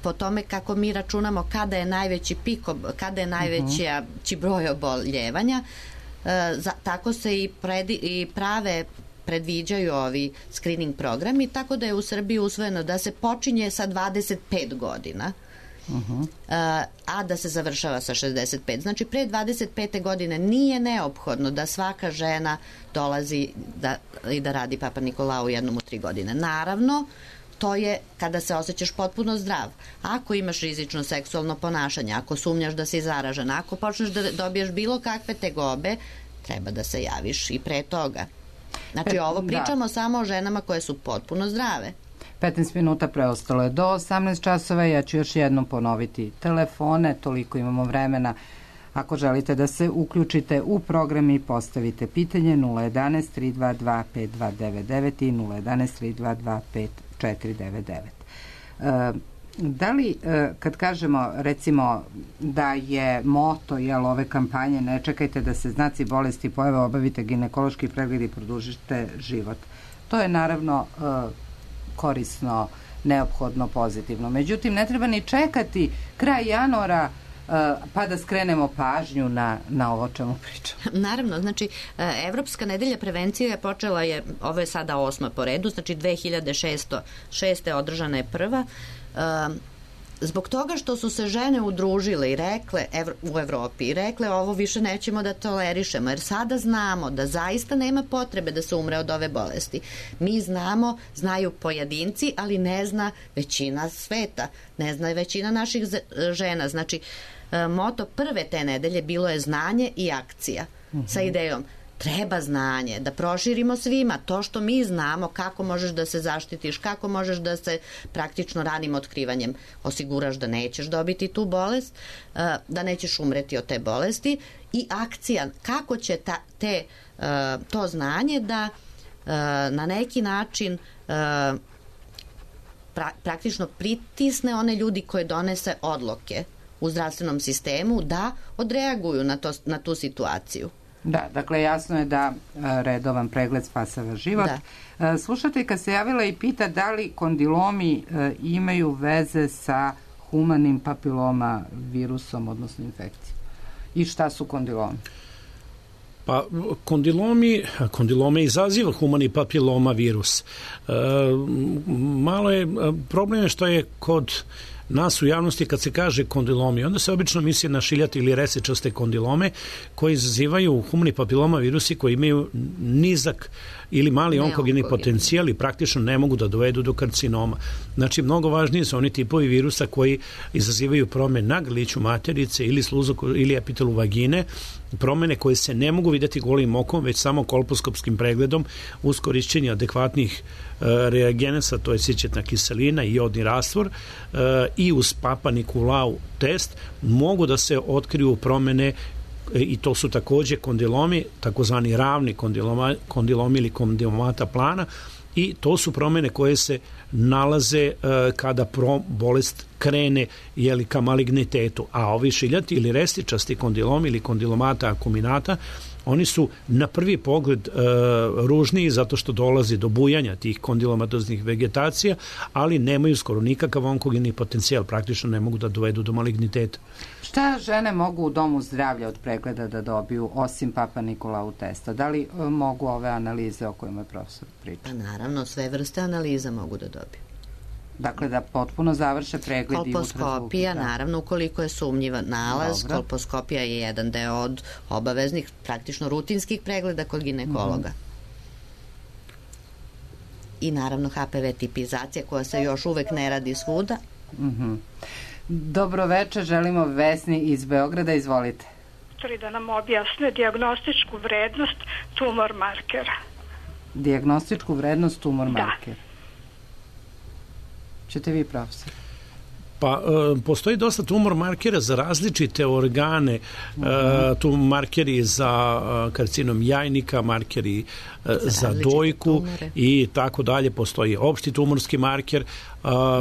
po tome kako mi računamo kada je najveći pik, kada je najveći broj oboljevanja, tako se i predviđaju ovi screening programi, tako da je u Srbiji usvojeno da se počinje sa 25 godina, a da se završava sa 65. Znači, pre 25. godine nije neophodno da svaka žena dolazi i da radi Papa Nikolau jednom u 3 godine. Naravno, to je kada se osjećaš potpuno zdrav. Ako imaš rizično seksualno ponašanje, ako sumnjaš da si zaražen, ako počneš da dobiješ bilo kakve tegobe, treba da se javiš i pre toga. Znači, ovo pričamo samo o ženama koje su potpuno zdrave. 15 minuta preostalo je do 18 časova. Ja ću još jednom ponoviti telefone, toliko imamo vremena. Ako želite da se uključite u program i postavite pitanje, 011 322 5299 i 011 322 5499. Da li, kad kažemo, recimo, da je moto ove kampanje ne čekajte da se znaci bolesti pojave, obavite ginekološki pregled i produžite život, to je naravno korisno, neophodno, pozitivno. Međutim, ne treba ni čekati kraj januara pa da skrenemo pažnju na ovo čemu pričam. Naravno, znači, Evropska nedelja prevencije počela je, ovo je sada 8. po redu, znači 2006. održana je prva, zbog toga što su se žene udružile i rekle u Evropi i rekle ovo više nećemo da tolerišemo, jer sada znamo da zaista nema potrebe da se umre od ove bolesti. Mi znamo, znaju pojedinci, ali ne zna većina sveta, ne zna većina naših žena. Znači, moto prve te nedelje bilo je znanje i akcija, sa idejom treba znanje, da proširimo svima to što mi znamo, kako možeš da se zaštitiš, kako možeš da se praktično ranim otkrivanjem osiguraš da nećeš dobiti tu bolest, da nećeš umreti od te bolesti, i akcija, kako će to znanje da na neki način praktično pritisne one ljudi koje donese odluke u zdravstvenom sistemu da odreaguju na tu situaciju. Da, dakle, jasno je da redovan pregled spasava život. Slušateljka se javila i pita da li kondilomi imaju veze sa humanim papiloma virusom, odnosno infekcijom. I šta su kondilomi? Pa, kondilome izaziva humani papiloma virus. Malo je, problem je što je kod nas u javnosti kad se kaže kondilomi, onda se obično misli na šiljate ili resečaste kondilome koji izazivaju humani papiloma virusi koji imaju nizak ili mali onkogeni potencijal i praktično ne mogu da dovedu do karcinoma. Znači, mnogo važnije su oni tipovi virusa koji izazivaju promene na grliću materice ili sluzu ili epitelu vagine, promene koje se ne mogu videti golim okom, već samo kolposkopskim pregledom uz korišćenje adekvatnih reagenesa, to je sićetna kiselina i jodni rastvor, i uz Papa Nikolau test mogu da se otkriju promene, i to su takođe kondilomi, takozvani ravni kondilomi ili kondilomata plana, i to su promene koje se nalaze kada bolest krene ka malignitetu, a ovi šiljati ili restičasti kondilomi ili kondilomata akuminata, oni su na prvi pogled ružniji zato što dolazi do bujanja tih kondilomatoznih vegetacija, ali nemaju skoro nikakav onkogeni potencijal, praktično ne mogu da dovedu do maligniteta. Šta žene mogu u domu zdravlja od pregleda da dobiju osim Papa Nikolau testa? Da li mogu ove analize o kojima je profesor priča? Pa naravno, sve vrste analiza mogu da dobiju. Dakle, da potpuno završe pregled i kolposkopija, naravno, ukoliko je sumnjiva nalaz. Dobro. Kolposkopija je jedan deo od obaveznih, praktično rutinskih pregleda kod ginekologa. I naravno HPV tipizacija koja se još uvek ne radi svuda. Dobro večer, želimo Vesni iz Beograda, izvolite. Da nam objasne dijagnostičku vrednost tumor markera. Dijagnostičku vrednost tumor markera. Ćete vi, profesor? Pa, postoji dosta tumor markera za različite organe, tu markeri za karcinom jajnika, markeri za dojku i tako dalje. Postoji opšti tumorski marker.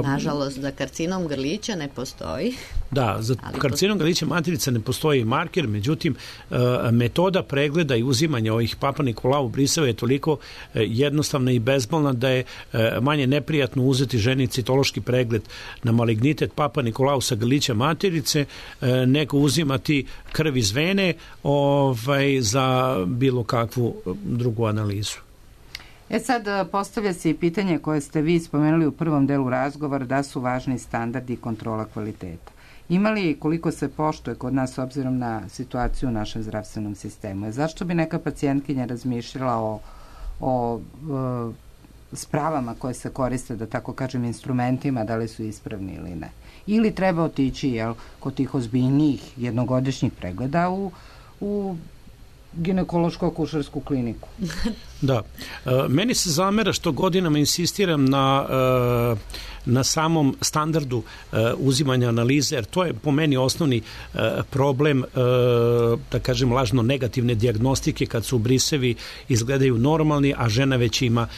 Nažalost, za karcinom grlića ne postoji. Da, za karcinom grlića materice ne postoji marker, međutim, metoda pregleda i uzimanja ovih Papa Nikolau briseva je toliko jednostavna i bezbolna da je manje neprijatno uzeti ženi citološki pregled na malignitet Papa Nikolau sa grlića materice, nego uzimati krv iz vene za bilo kakvu drugu analizu. Sad postavlja se i pitanje koje ste vi spomenuli u prvom delu razgovora, da su važni standardi i kontrola kvaliteta. Ima li koliko se poštuje kod nas s obzirom na situaciju u našem zdravstvenom sistemu? Zašto bi neka pacijentkinja razmišljala o spravama koje se koriste, da tako kažem, instrumentima, da li su ispravni ili ne? Ili treba otići kod tih ozbiljnijih jednogodišnjih pregleda u ginekološko-akušersku kliniku? Da. Meni se zamera što godinama insistiram na samom standardu uzimanja analize, jer to je po meni osnovni problem, da kažem, lažno negativne dijagnostike kad su brisevi izgledaju normalni, a žena već ima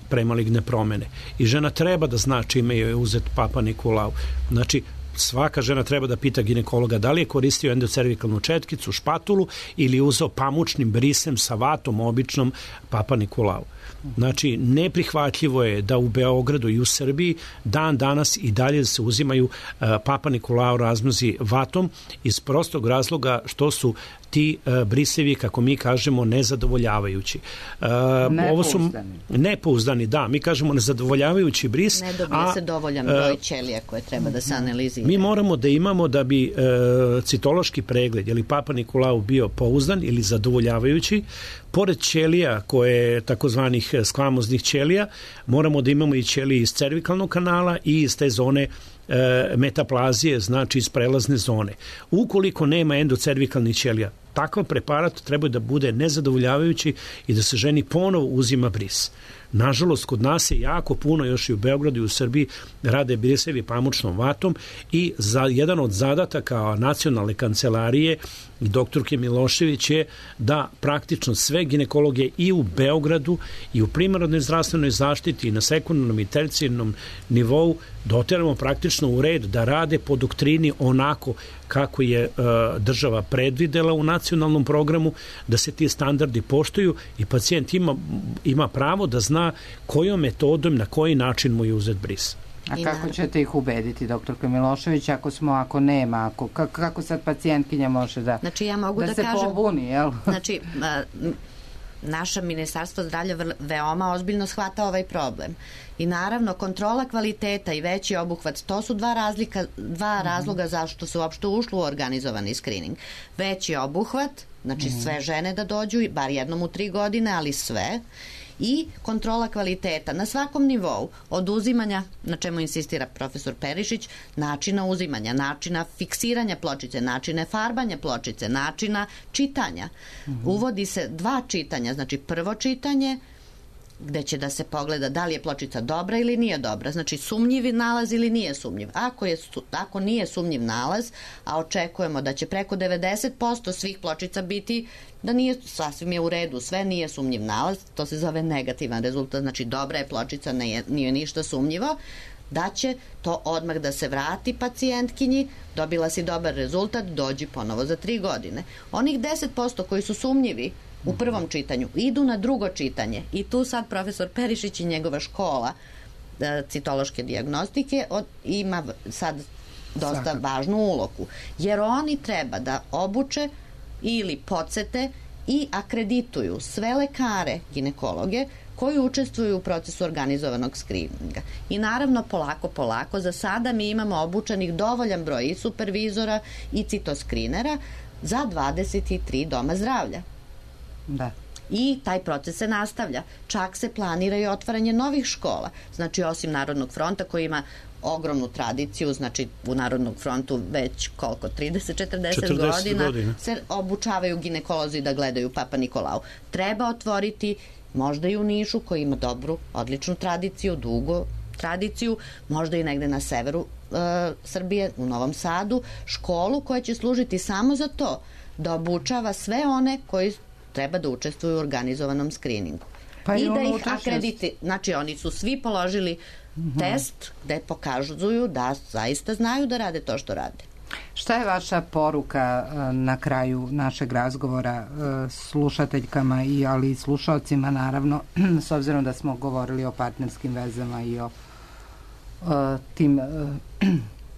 premaligne promene. I žena treba da zna čime je uzet Papa Nikolau. Znači, svaka žena treba da pita ginekologa da li je koristio endocervikalnu četkicu, špatulu ili je uzeo pamučnim brisem sa vatom običnom Papa Nikolau. Znači, neprihvatljivo je da u Beogradu i u Srbiji dan danas i dalje se uzimaju Papa Nikolau razmnozi vatom iz prostog razloga što su ti brisevi, kako mi kažemo, nezadovoljavajući. Nepouzdani, da. Mi kažemo nezadovoljavajući bris. Ne dobije se dovoljan broj ćelija koje treba da se analizira. Mi moramo da imamo da bi citološki pregled ili Papa Nikolau bio pouzdan ili zadovoljavajući, pored ćelija koje takozvanih skvamoznih ćelija, moramo da imamo i ćelije iz cervikalnog kanala i iz te zone metaplazije, znači iz prelazne zone. Ukoliko nema endocervikalnih ćelija, takav preparat treba da bude nezadovoljavajući i da se ženi ponovo uzima bris. Nažalost, kod nas je jako puno, još i u Beogradu i u Srbiji, rade brisevi pamučnom vatom i jedan od zadataka nacionalne kancelarije i doktorke Milošević je da praktično sve ginekologije i u Beogradu i u primarnoj zdravstvenoj zaštiti i na sekundarnom i tercijarnom nivou doteramo praktično u red da rade po doktrini onako kako je država predvidela u nacionalnom programu, da se ti standardi poštuju i pacijent ima pravo da zna kojom metodom, na koji način mu je uzet bris. A kako ćete ih ubediti, doktorka Milošević, ako nema, kako sad pacijentkinja može da, znači, ja mogu da se kažem, pobuni, jel? Znači, naše ministarstvo zdravlja veoma ozbiljno shvata ovaj problem. I naravno, kontrola kvaliteta i veći obuhvat, to su dva razloga zašto se uopšte ušlo u organizovani screening. Veći obuhvat, znači sve žene da dođu, bar jednom u 3 godine, ali sve, i kontrola kvaliteta na svakom nivou, od uzimanja, na čemu insistira profesor Perišić, načina uzimanja, načina fiksiranja pločice, načine farbanja pločice, načina čitanja. Uvodi se 2 čitanja, znači prvo čitanje gde će da se pogleda da li je pločica dobra ili nije dobra. Znači sumnjivi nalaz ili nije sumnjiv. Ako nije sumnjiv nalaz, a očekujemo da će preko 90% svih pločica biti da nije, sasvim je u redu, sve nije sumnjiv nalaz, to se zove negativan rezultat, znači dobra je pločica, nije ništa sumnjivo, da će to odmah da se vrati pacijentkinji, dobila si dobar rezultat, dođi ponovo za 3 godine. Onih 10% koji su sumnjivi u prvom čitanju idu na drugo čitanje i tu sad profesor Perišić i njegova škola citološke dijagnostike ima sad dosta važnu ulogu, jer oni treba da obuče ili podsete i akredituju sve lekare ginekologe koji učestvuju u procesu organizovanog skrininga. I naravno polako, za sada mi imamo obučenih dovoljan broj i supervizora i citoskrinera za 23 doma zdravlja. Da. I taj proces se nastavlja. Čak se planira i otvaranje novih škola. Znači, osim Narodnog fronta koji ima ogromnu tradiciju, znači u Narodnog frontu već koliko, 30-40 godina se obučavaju ginekolozi da gledaju Papa Nikolau. Treba otvoriti možda i u Nišu koji ima dobru, odličnu tradiciju, dugu tradiciju, možda i negde na severu Srbije, u Novom Sadu, školu koja će služiti samo za to da obučava sve one koji treba da učestvuju u organizovanom skriningu. Pa i da ih akrediti. Znači, oni su svi položili test gde pokazuju da zaista znaju da rade to što rade. Šta je vaša poruka na kraju našeg razgovora slušateljkama ali i slušalcima, naravno, s obzirom da smo govorili o partnerskim vezama i o tim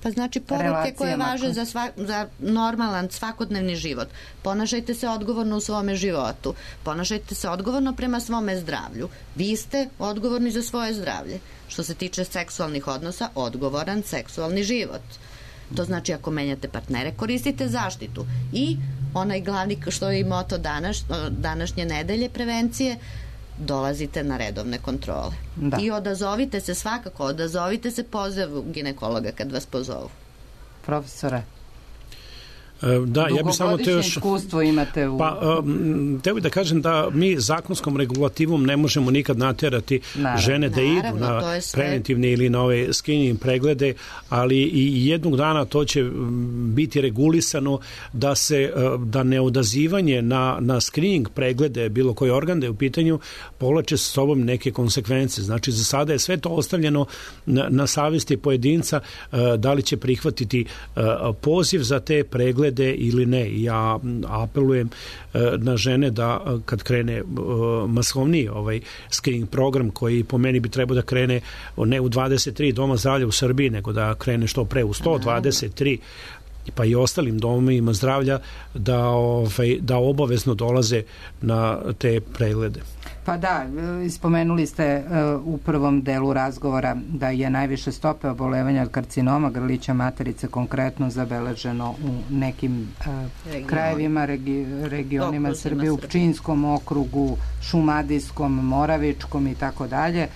pa znači poruke koje važe za normalan svakodnevni život. Ponašajte se odgovorno u svome životu. Ponašajte se odgovorno prema svome zdravlju. Vi ste odgovorni za svoje zdravlje. Što se tiče seksualnih odnosa, odgovoran seksualni život. To znači ako menjate partnere, koristite zaštitu. I onaj glavni što je i moto današnje nedelje prevencije, dolazite na redovne kontrole. Da. I odazovite se pozivu ginekologa kad vas pozovu. Profesore, da, ja bih samo dugogodišnje iskustvo imate u... Teo bih da kažem da mi zakonskom regulativom ne možemo nikad naterati žene da idu na preventivne ili na ove screening preglede, ali i jednog dana to će biti regulisano da neodazivanje na screening preglede bilo koji organ da je u pitanju povlače sa sobom neke konsekvence. Znači, za sada je sve to ostavljeno na savesti pojedinca da li će prihvatiti poziv za te preglede ili ne. Ja apelujem na žene da kad krene masovniji screening program koji po meni bi trebao da krene ne u 23 doma zdravlja u Srbiji, nego da krene što pre u 123 pa i ostalim domovima zdravlja da obavezno dolaze na te preglede. Pa da, spomenuli ste u prvom delu razgovora da je najviše stope obolevanja od karcinoma grlića materice konkretno zabeleženo u nekim krajevima, regionima Srbije, u Pčinjskom okrugu, Šumadijskom, Moravičkom i tako dalje.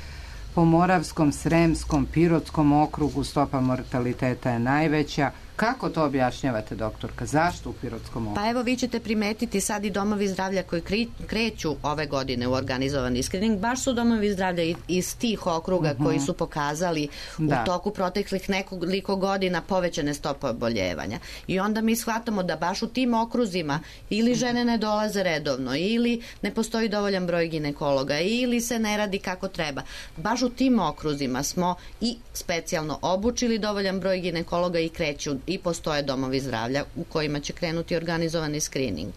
Po Moravskom, Sremskom, Pirotskom okrugu stopa mortaliteta je najveća. Kako to objašnjavate, doktorka? Zašto u Pirotskom okrugu? Pa evo, vi ćete primetiti sad i domovi zdravlja koji kreću ove godine u organizovani screening, baš su domovi zdravlja iz tih okruga koji su pokazali u toku proteklih nekoliko godina povećane stope oboljevanja. I onda mi shvatamo da baš u tim okruzima ili žene ne dolaze redovno, ili ne postoji dovoljan broj ginekologa, ili se ne radi kako treba. Baš u tim okruzima smo i specijalno obučili dovoljan broj ginekologa i kreću i postoje domovi zdravlja u kojima će krenuti organizovani screening.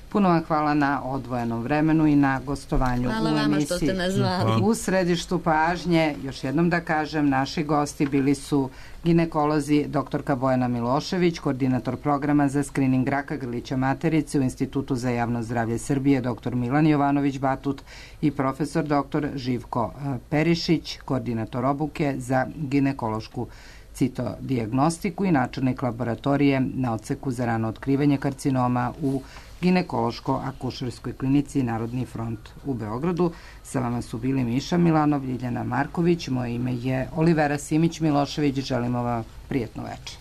Puno vam hvala na odvojenom vremenu i na gostovanju u emisiji. Hvala vama što ste nas zvali. U središtu pažnje, još jednom da kažem, naši gosti bili su ginekolozi doktorka Bojana Milošević, koordinator programa za screening raka grlića materice u Institutu za javno zdravlje Srbije, dr. Milan Jovanović-Batut i profesor dr. Živko Perišić, koordinator obuke za ginekološku citodijagnostiku i načelnik laboratorije na odseku za rano otkrivanje karcinoma u ginekološko-akušerskoj klinici Narodni front u Beogradu. Sa vama su bili Miša Milanov, Ljiljana Marković, moje ime je Olivera Simić Milošević, želimo vam prijetno večer.